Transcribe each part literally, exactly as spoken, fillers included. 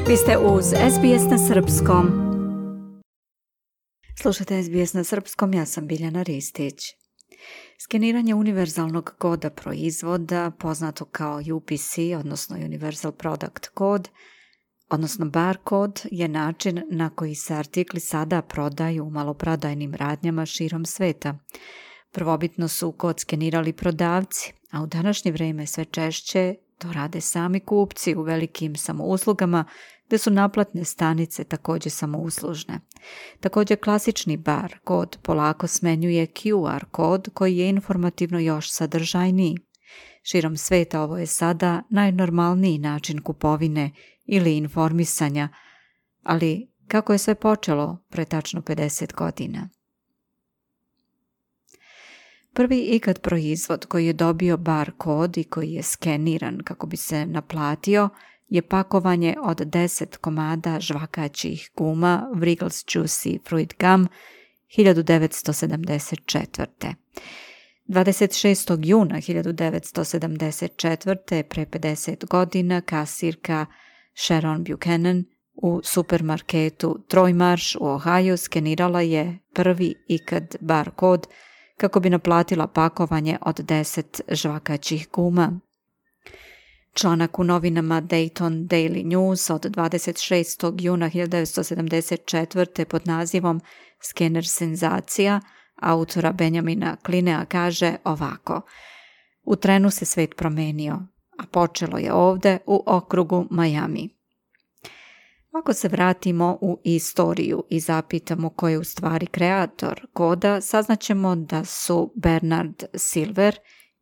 Vi ste uz S B S na srpskom. Slušajte S B S na srpskom, ja sam Biljana Ristić. Skeniranje univerzalnog koda proizvoda, poznato kao U P C, odnosno Universal Product Code, odnosno barkod, je način na koji se artikli sada prodaju u maloprodajnim radnjama širom sveta. Prvobitno su kod skenirali prodavci, a u današnje vrijeme sve češće to rade sami kupci u velikim samouslugama, gdje su naplatne stanice također samouslužne. Također klasični bar kod polako smenjuje Q R kod koji je informativno još sadržajniji. Širom sveta ovo je sada najnormalniji način kupovine ili informisanja, ali kako je sve počelo pre tačno pedeset godina? Prvi ikad proizvod koji je dobio bar kod i koji je skeniran kako bi se naplatio je pakovanje od deset komada žvakaćih guma Wrigley's Juicy Fruit Gum hiljadu devetsto sedamdeset četvrte. dvadeset šestog juna hiljadu devetsto sedamdeset četvrte. pre pedeset godina kasirka Sharon Buchanan u supermarketu Troy Marsh u Ohio skenirala je prvi ikad bar kod kako bi naplatila pakovanje od deset žvakaćih guma. Članak u novinama Dayton Daily News od dvadeset šestog juna hiljadu devetsto sedamdeset četvrte. pod nazivom Skener senzacija autora Benjamina Klinea kaže ovako: U trenu se svet promenio, a počelo je ovde u okrugu Miami. Ako se vratimo u istoriju i zapitamo ko je u stvari kreator koda, saznaćemo da su Bernard Silver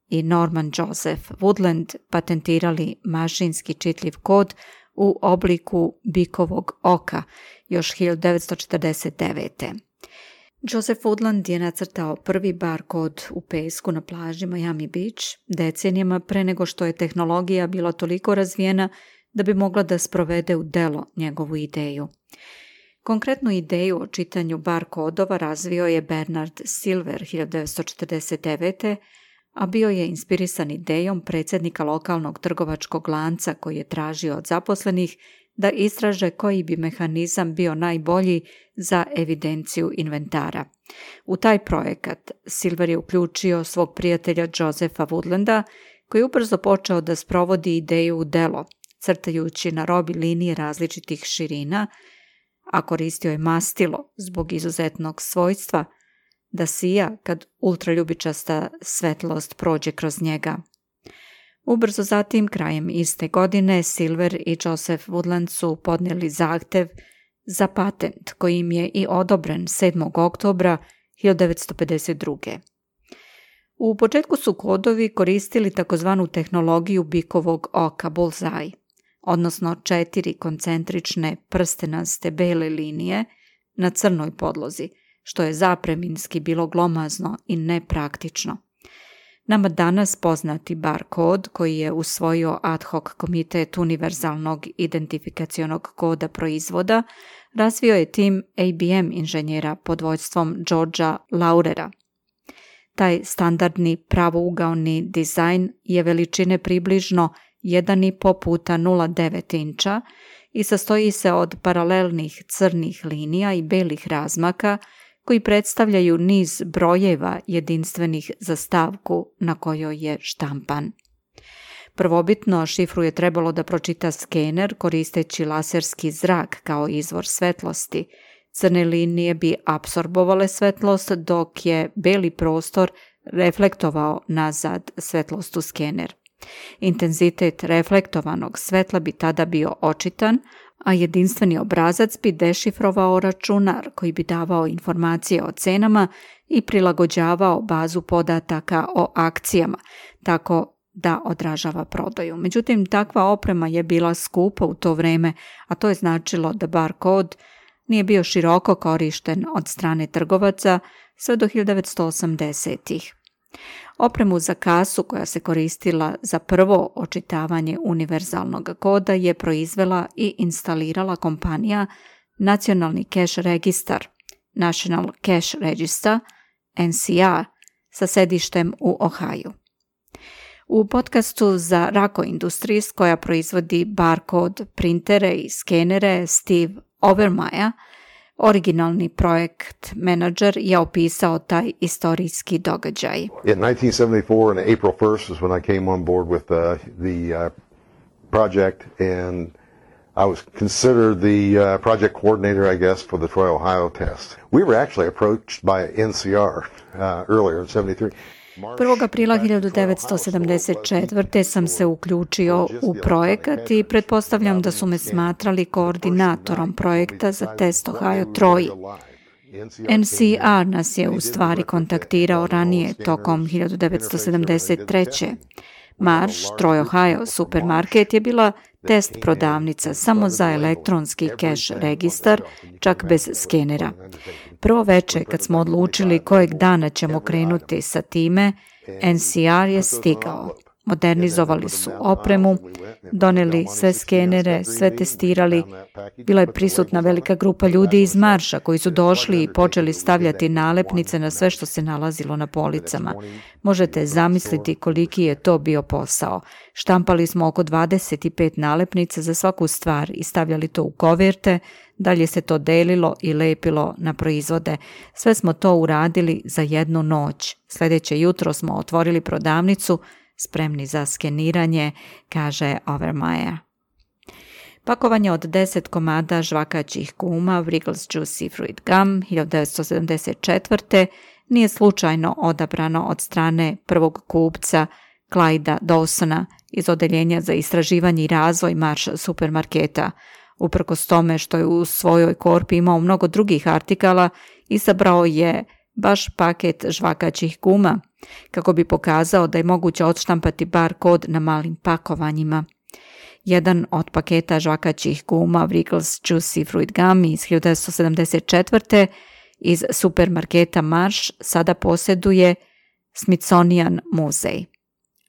i Norman Joseph Woodland patentirali mašinski čitljiv kod u obliku bikovog oka još hiljadu devetsto četrdeset devete. Joseph Woodland je nacrtao prvi bar kod u pesku na plaži Miami Beach decenijama pre nego što je tehnologija bila toliko razvijena da bi mogla da sprovede u delo njegovu ideju. Konkretnu ideju o čitanju bar kodova razvio je Bernard Silver hiljadu devetsto četrdeset devete. a bio je inspirisan idejom predsjednika lokalnog trgovačkog lanca koji je tražio od zaposlenih da istraže koji bi mehanizam bio najbolji za evidenciju inventara. U taj projekat Silver je uključio svog prijatelja Josepha Woodlanda, koji je ubrzo počeo da sprovodi ideju u delo, crtajući na robi linije različitih širina, a koristio je mastilo zbog izuzetnog svojstva da sija kad ultraljubičasta svetlost prođe kroz njega. Ubrzo zatim, krajem iste godine, Silver i Joseph Woodland su podnijeli zahtev za patent koji im je i odobren sedmog oktobra hiljadu devetsto pedeset druge. U početku su kodovi koristili takozvanu tehnologiju bikovog oka bullseye, odnosno četiri koncentrične prstenaste bele linije na crnoj podlozi, što je zapreminski bilo glomazno i nepraktično. Nama danas poznati bar kod koji je usvojio ad hoc komitet univerzalnog identifikacionog koda proizvoda razvio je tim A B M inženjera pod vođstvom Georgea Laurera. Taj standardni pravougaoni dizajn je veličine približno jedan i po puta nula zarez devet inča i sastoji se od paralelnih crnih linija i belih razmaka koji predstavljaju niz brojeva jedinstvenih za stavku na kojoj je štampan. Prvobitno šifru je trebalo da pročita skener koristeći laserski zrak kao izvor svetlosti. Crne linije bi apsorbovale svetlost dok je beli prostor reflektovao nazad svetlost u skener. Intenzitet reflektovanog svetla bi tada bio očitan, a jedinstveni obrazac bi dešifrovao računar koji bi davao informacije o cenama i prilagođavao bazu podataka o akcijama, tako da odražava prodaju. Međutim, takva oprema je bila skupa u to vreme, a to je značilo da bar kod nije bio široko korišten od strane trgovaca sve do hiljadu devetsto osamdesetih. Opremu za kasu koja se koristila za prvo očitavanje univerzalnog koda je proizvela i instalirala kompanija Nacionalni cash registar, National Cash Register, N C R, sa sedištem u Ohio. U podcastu za Rako Industries, koja proizvodi barkod printere i skenere, Steve Overmyer, originalni projekt menadžer, je opisao taj istorijski događaj. In nineteen seventy-four, on April first, is when I came on board with uh, the uh, project, and I was considered the uh, project coordinator, I guess, for the Troy, Ohio test. We were actually approached by N C R uh, earlier in seventy-three. prvog aprila hiljadu devetsto sedamdeset četvrte sam se uključio u projekat i pretpostavljam da su me smatrali koordinatorom projekta za test Ohio Troy. N C R nas je u stvari kontaktirao ranije tokom hiljadu devetsto sedamdeset treće. Marsh, Troy, Ohio supermarket je bila test prodavnica samo za elektronski keš registar, čak bez skenera. Prvo veče kad smo odlučili kojeg dana ćemo krenuti sa time, N C R je stigao. Modernizovali su opremu, doneli sve skenere, sve testirali. Bila je prisutna velika grupa ljudi iz Marsha koji su došli i počeli stavljati nalepnice na sve što se nalazilo na policama. Možete zamisliti koliki je to bio posao. Štampali smo oko dvadeset pet nalepnica za svaku stvar i stavljali to u koverte, dalje se to delilo i lepilo na proizvode. Sve smo to uradili za jednu noć. Sljedeće jutro smo otvorili prodavnicu, spremni za skeniranje, kaže Overmyer. Pakovanje od deset komada žvakaćih guma Wrigley's Juicy Fruit Gum hiljadu devetsto sedamdeset četvrte nije slučajno odabrano od strane prvog kupca Clyda Dawsona iz odeljenja za istraživanje i razvoj Marsh supermarketa. Uprkos tome što je u svojoj korpi imao mnogo drugih artikala, izabrao je baš paket žvakaćih guma, kako bi pokazao da je moguće odštampati bar kod na malim pakovanjima. Jedan od paketa žvakaćih guma Wrigley's Juicy Fruit Gum iz hiljadu devetsto sedamdeset četvrte iz supermarketa Marsh sada posjeduje Smithsonian muzej.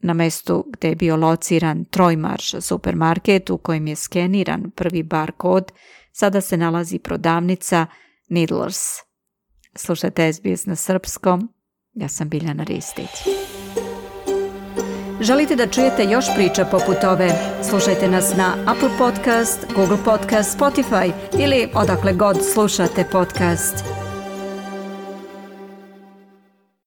Na mestu gdje je bio lociran Troy Marsh supermarket u kojem je skeniran prvi bar kod, sada se nalazi prodavnica Needlers. Slušajte S B S na srpskom. Ja sam Biljana Ristić. Želite da čujete još priča poput ove? Slušajte nas na Apple Podcast, Google Podcast, Spotify ili odakle god slušate podcast.